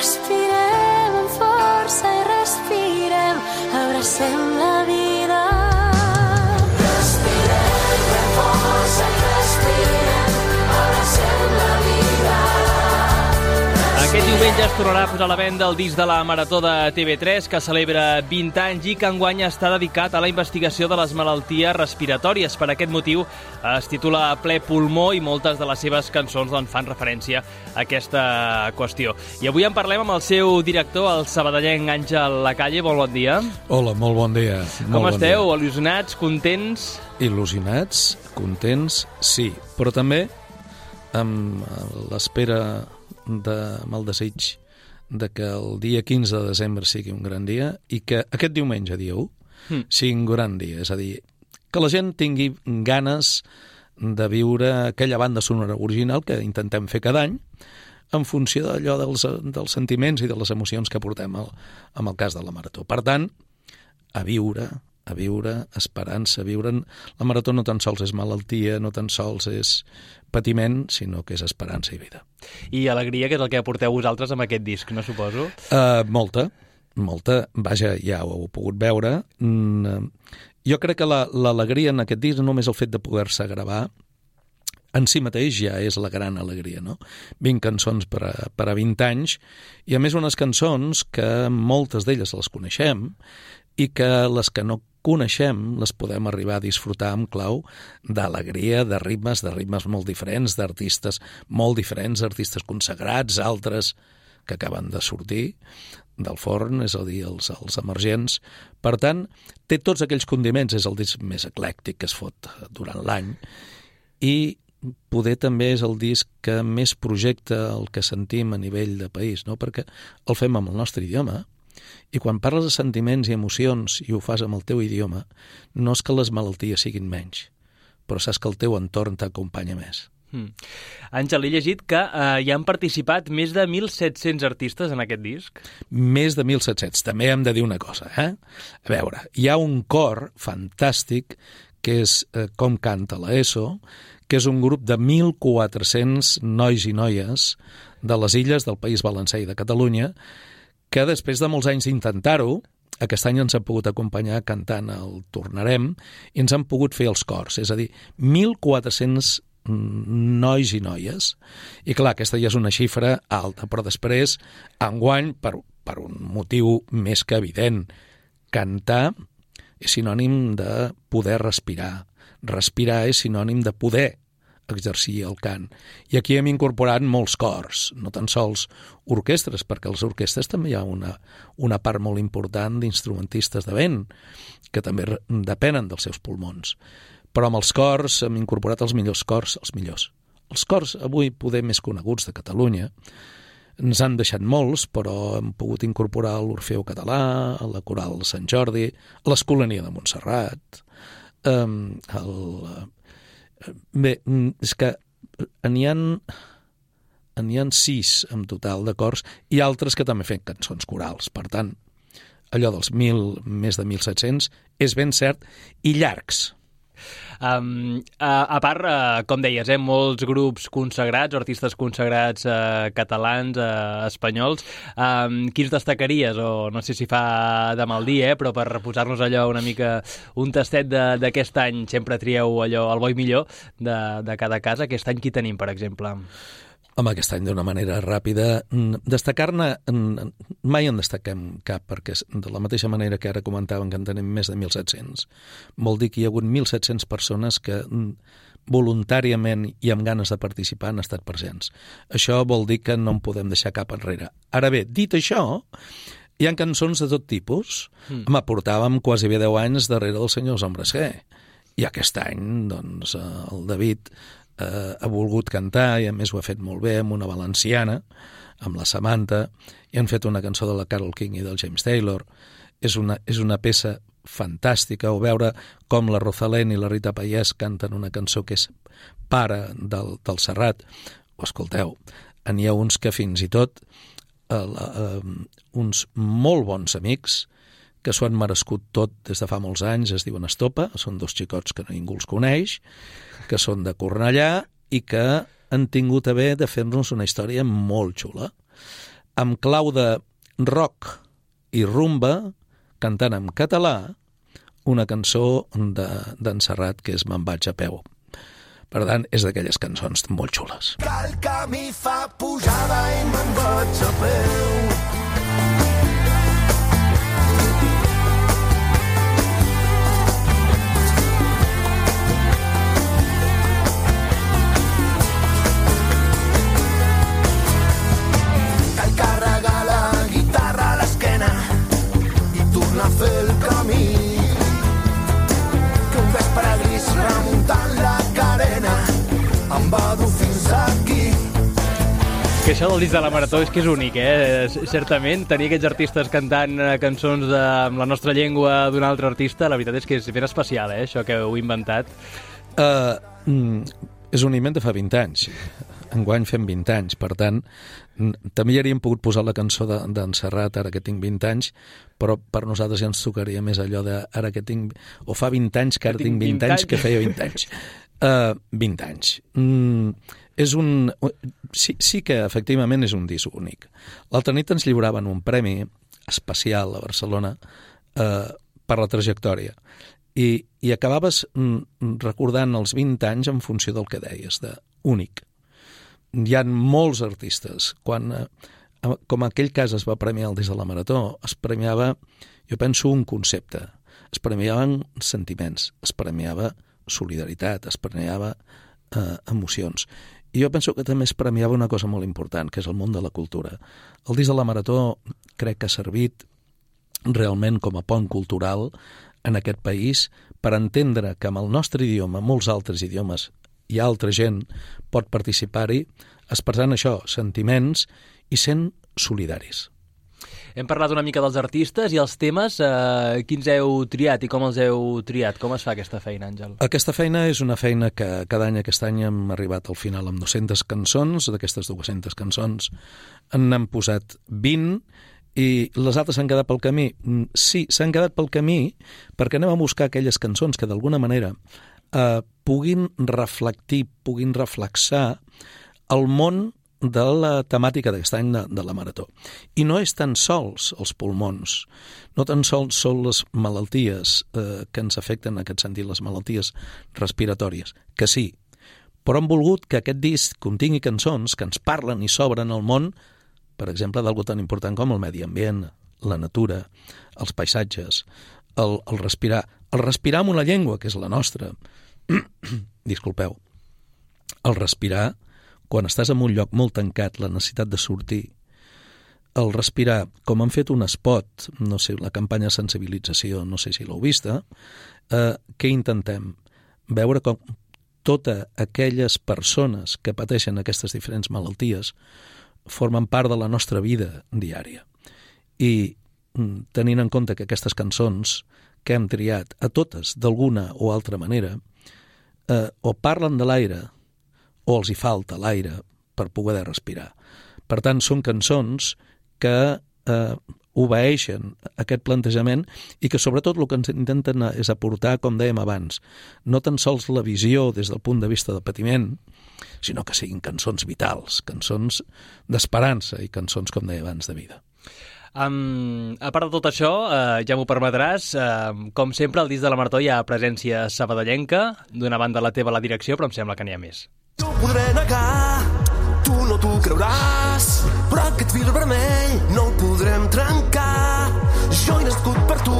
Respirem amb força i respirem, abracem la vida. Respirem amb força i respirem, abracem la vida. Aquest diumenge es tornarà a posar a la venda el disc de la Marató de TV3, que celebra 20 anys i que enguany està dedicat a la investigació de les malalties respiratòries. Per aquest motiu es titula Ple pulmó i moltes de les seves cançons fan referència a aquesta qüestió. I avui en parlem amb el seu director, el sabadellenc Àngel Lacalle. Bon dia. Hola, molt bon dia. Com esteu? Il·lusionats, contents? Il·lusionats, contents, sí, però també amb l'espera amb el desig de que el dia 15 de desembre sigui un gran dia i que aquest diumenge, dia 1, sigui un gran dia. És a dir, que la gent tingui ganes de viure aquella banda sonora original que intentem fer cada any en funció d'allò dels sentiments i de les emocions que portem en el cas de la Marató. Per tant, a viure, esperança, viure. La Marató no tan sols és malaltia, no tan sols és patiment, sinó que és esperança i vida. I alegria, que és el que aporteu vosaltres amb aquest disc, no suposo? Molta. Vaja, ja ho heu pogut veure. Jo crec que l'alegria en aquest disc, només el fet de poder-se gravar, en si mateix ja és la gran alegria, no? 20 cançons per a 20 anys, i a més unes cançons que moltes d'elles les coneixem i que les que no coneixem les podem arribar a disfrutar amb clau d'alegria, de ritmes molt diferents, d'artistes molt diferents, artistes consagrats, altres que acaben de sortir del forn, és a dir, els emergents. Per tant, té tots aquells condiments, és el disc més eclèctic que es fot durant l'any, i poder també és el disc que més projecta el que sentim a nivell de país, no? Perquè el fem amb el nostre idioma, i quan parles de sentiments i emocions i ho fas amb el teu idioma, no és que les malalties siguin menys, però saps que el teu entorn t'acompanya més. Àngel, he llegit que hi han participat més de 1.700 artistes en aquest disc. Més de 1.700. També hem de dir una cosa, A veure, hi ha un cor fantàstic que és Com canta la ESO, que és un grup de 1.400 nois i noies de les illes del País Valencià i de Catalunya, que després de molts anys d'intentar-ho, aquest any ens han pogut acompanyar cantant el Tornarem i ens han pogut fer els cors, és a dir, 1.400 nois i noies. I clar, aquesta ja és una xifra alta, però després, enguany, per un motiu més que evident, cantar és sinònim de poder respirar. Respirar és sinònim de poder exercir el cant. I aquí hem incorporat molts cors, no tan sols orquestres, perquè a les orquestres també hi ha una part molt important d'instrumentistes de vent, que també depenen dels seus pulmons. Però amb els cors hem incorporat els millors cors, els millors. Els cors avui poder més coneguts de Catalunya, ens han deixat molts, però hem pogut incorporar l'Orfeu Català, la Coral Sant Jordi, l'Escolania de Montserrat, bé, és que n'hi ha 6 en total de cors i altres que també fan cançons corals. Per tant, allò dels més de 1.700 és ben cert i llargs. A part, com deies, molts grups consagrats, artistes consagrats catalans, espanyols. Quins destacaries? O no sé si fa de mal dir, però per posar-nos allò una mica un tastet d'aquest any, sempre trieu allò el bo i millor de cada casa. Aquest any qui tenim, per exemple? Home, aquest any d'una manera ràpida. Destacar-ne, mai en destaquem cap, perquè de la mateixa manera que ara comentàvem que en tenim més de 1.700, vol dir que hi ha hagut 1.700 persones que voluntàriament i amb ganes de participar han estat presents. Això vol dir que no en podem deixar cap enrere. Ara bé, dit això, hi ha cançons de tot tipus. Portàvem quasi 10 anys darrere dels senyors Hombres G. I aquest any, doncs, el David ha volgut cantar, i a més ho ha fet molt bé, amb una valenciana, amb la Samantha, i han fet una cançó de la Carole King i del James Taylor. És una peça fantàstica, o veure com la Rosalén i la Rita Payés canten una cançó que és Pare del Serrat. Ho escolteu, n'hi ha uns que fins i tot uns molt bons amics que s'ho han merescut tot des de fa molts anys, es diuen Estopa, són 2 xicots que ningú els coneix, que són de Cornellà i que han tingut a bé de fer-nos una història molt xula. amb clau de rock i rumba, cantant en català, una cançó d'en Serrat que és Me'n vaig a peu. Per tant, és d'aquelles cançons molt xules. Que el camí fa pujada i me'n vaig a peu. Cal carregar la guitarra a l'esquena i tornar a fer el camí. Que un vespre gris remuntant la carena em va dur fins aquí. Que això del disc de la Marató és que és únic, certament, tenir aquests artistes cantant cançons amb la nostra llengua d'un altre artista, la veritat és que és ben especial, això que heu inventat. És un invent de fa 20 anys. Enguany fem 20 anys, per tant, també hi hauríem pogut posar la cançó d'en Serrat, ara que tinc 20 anys, però per nosaltres ja ens tocaria més allò de ara que tinc... O fa 20 anys que ara tinc 20 anys que feia 20 anys. 20 anys. És un... Sí que efectivament és un disc únic. L'altra nit ens lliuraven un premi especial a Barcelona per la trajectòria i acabaves recordant els 20 anys en funció del que deies, de únic. Hi ha molts artistes. Quan, com aquell cas es va premiar el disc de la Marató, es premiava, jo penso, un concepte. Es premiaven sentiments, es premiava solidaritat, es premiava emocions. I jo penso que també es premiava una cosa molt important, que és el món de la cultura. El disc de la Marató crec que ha servit realment com a pont cultural en aquest país per entendre que amb el nostre idioma, molts altres idiomes, i altra gent pot participar-hi expressant això, sentiments i sent solidaris. Hem parlat una mica dels artistes i els temes. Quins heu triat i com els heu triat? Com es fa aquesta feina, Àngel? Aquesta feina és una feina que cada any, aquest any hem arribat al final amb 200 cançons. D'aquestes 200 cançons n'han posat 20 i les altres s'han quedat pel camí. Sí, s'han quedat pel camí perquè anem a buscar aquelles cançons que d'alguna manera puguin reflectir, puguin reflexar el món de la temàtica d'aquest any de la Marató. I no és tan sols els pulmons, no tan sols són les malalties que ens afecten en aquest sentit, les malalties respiratòries, que sí, però hem volgut que aquest disc contingui cançons que ens parlen i s'obren al món, per exemple, d'algú tan important com el medi ambient, la natura, els paisatges, el respirar amb una llengua, que és la nostra. Disculpeu. El respirar, quan estàs en un lloc molt tancat, la necessitat de sortir. El respirar, com han fet un spot, no sé, la campanya de sensibilització, no sé si l'heu vista, què intentem? Veure com totes aquelles persones que pateixen aquestes diferents malalties formen part de la nostra vida diària. I tenint en compte que aquestes cançons que hem triat a totes, d'alguna o altra manera, o parlen de l'aire o els hi falta l'aire per poder respirar. Per tant, són cançons que obeeixen aquest plantejament i que sobretot el que ens intenten és aportar, com dèiem abans, no tan sols la visió des del punt de vista del patiment, sinó que siguin cançons vitals, cançons d'esperança i cançons, com deia abans, de vida. A part de tot això, ja m'ho permetràs, com sempre al disc de la Marató hi ha presència sabadellenca, d'una banda la teva la direcció, però em sembla que n'hi ha més. T'ho podré negar, tu no t'ho creuràs, però aquest fil vermell no el podrem trencar. Jo he nascut per tu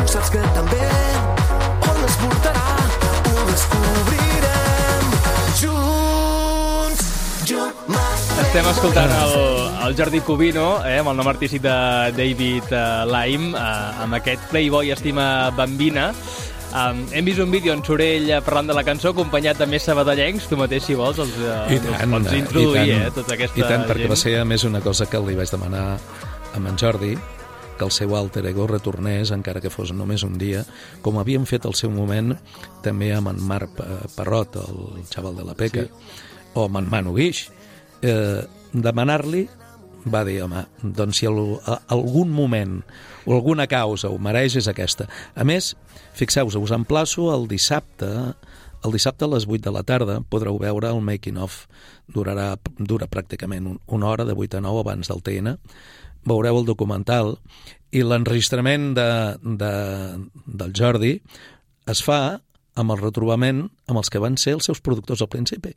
saps que també on es portarà ho descobrirem junts. Estem escoltant el Jordi Cubino, amb el nom artístic de David Lime, amb aquest Playboy Estima Bambina. Hem vist un vídeo en Sorell parlant de la cançó, acompanyat de més sabadellencs. Tu mateix, si vols, els pots introduir, tota aquesta gent. I tant, perquè va ser a més una cosa que li vaig demanar a en Jordi, que el seu alter ego retornés, encara que fos només un dia, com havíem fet al seu moment també amb en Marc Parrot, el xaval de la Peca, o amb en Manu Guix. Demanar-li, va dir, home, doncs si algun moment o alguna causa ho mereix és aquesta. A més, fixeu-vos, us emplaço el dissabte El dissabte a les 8 de la tarda podreu veure el making of. Dura pràcticament una hora, de 8 a 9 abans del TN. Veureu el documental i l'enregistrament del Jordi es fa amb el retrobament amb els que van ser els seus productors al principi,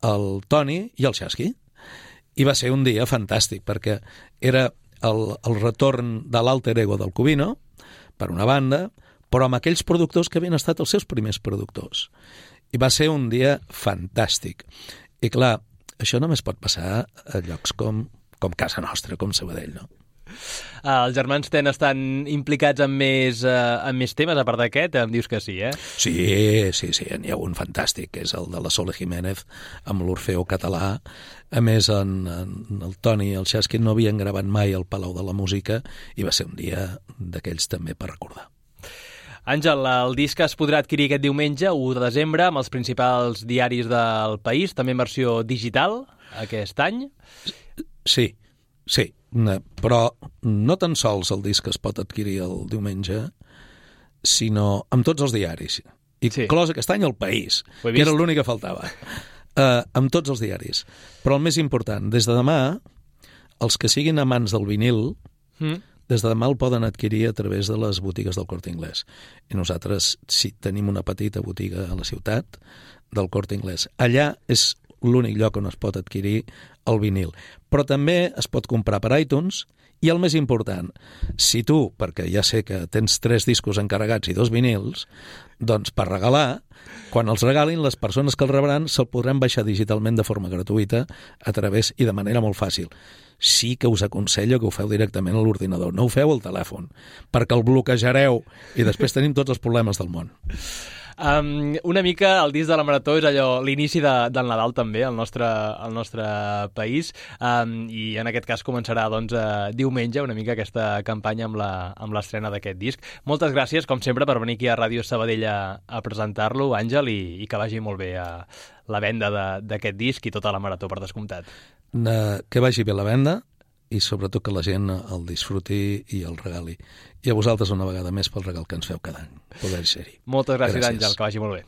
el Toni i el Xasqui. I va ser un dia fantàstic, perquè era el retorn de l'alter ego del Cubino, per una banda, però amb aquells productors que havien estat els seus primers productors. I va ser un dia fantàstic. I clar, això només pot passar a llocs com casa nostra, com Sabadell, no? Els germans Ten estan implicats en més temes, a part d'aquest, em dius que sí, eh? Sí, n'hi ha un fantàstic, que és el de la Sole Jiménez, amb l'Orfeo Català. A més, el Toni i el Xasqui no havien gravat mai al Palau de la Música i va ser un dia d'aquells també per recordar. Àngel, el disc es podrà adquirir aquest diumenge, 1 de desembre, amb els principals diaris del país, també en versió digital, aquest any. Sí, però no tan sols el disc es pot adquirir el diumenge, sinó amb tots els diaris. Inclòs aquest any el País, que era l'únic que faltava. Amb tots els diaris. Però el més important, des de demà, els que siguin amants del vinil, des de demà el poden adquirir a través de les botigues del Corte Inglés. I nosaltres sí tenim una petita botiga a la ciutat del Corte Inglés. Allà és l'únic lloc on es pot adquirir el vinil. Però també es pot comprar per iTunes i el més important, si tu, perquè ja sé que tens 3 discos encarregats i 2 vinils, doncs per regalar, quan els regalin, les persones que els rebran se'l podran baixar digitalment de forma gratuïta a través i de manera molt fàcil. Sí que us aconsello que ho feu directament a l'ordinador, no ho feu al telèfon, perquè el bloquejareu i després tenim tots els problemes del món. Una mica el disc de la Marató és allò, l'inici del Nadal també al nostre país, i en aquest cas començarà diumenge una mica aquesta campanya amb l'estrena d'aquest disc. Moltes gràcies, com sempre, per venir aquí a Ràdio Sabadell a presentar-lo, Àngel, i que vagi molt bé la venda d'aquest disc i tota la Marató, per descomptat. Que vagi bé la venda i sobretot que la gent el disfruti i el regali. I a vosaltres una vegada més pel regal que ens feu cada any. Poder ser-hi. Moltes gràcies, Àngel, que vagi molt bé.